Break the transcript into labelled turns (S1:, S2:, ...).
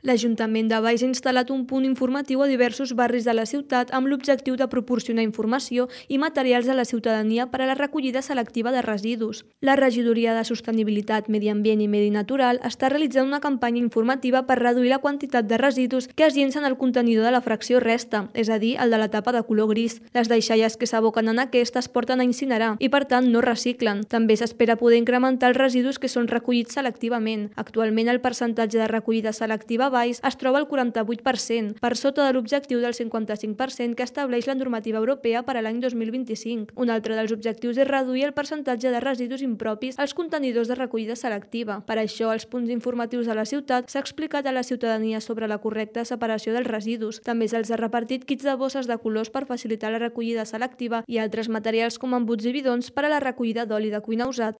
S1: L'Ajuntament de Valls ha instal·lat un punt informatiu a diversos barris de la ciutat amb l'objectiu de proporcionar informació i materials a la ciutadania per a la recollida selectiva de residus. La Regidoria de Sostenibilitat, Medi Ambient i Medi Natural està realitzant una campanya informativa per reduir la quantitat de residus que es llencen al contenidor de la fracció resta, és a dir, el de la tapa de color gris. Les deixalles que s'aboquen en aquest es porten a incinerar i, per tant, no reciclen. També s'espera poder incrementar els residus que són recollits selectivament. Actualment, el percentatge de recollida selectiva Valls es troba al 48%, per sota de l'objectiu del 55% que estableix la normativa europea per a l'any 2025. Un altre dels objectius és reduir el percentatge de residus impropis als contenidors de recollida selectiva. Per això, als punts informatius de la ciutat s'ha explicat a la ciutadania sobre la correcta separació dels residus. També se'ls ha repartit kits de bosses de colors per facilitar la recollida selectiva i altres materials com embuts i bidons per a la recollida d'oli de cuina usat.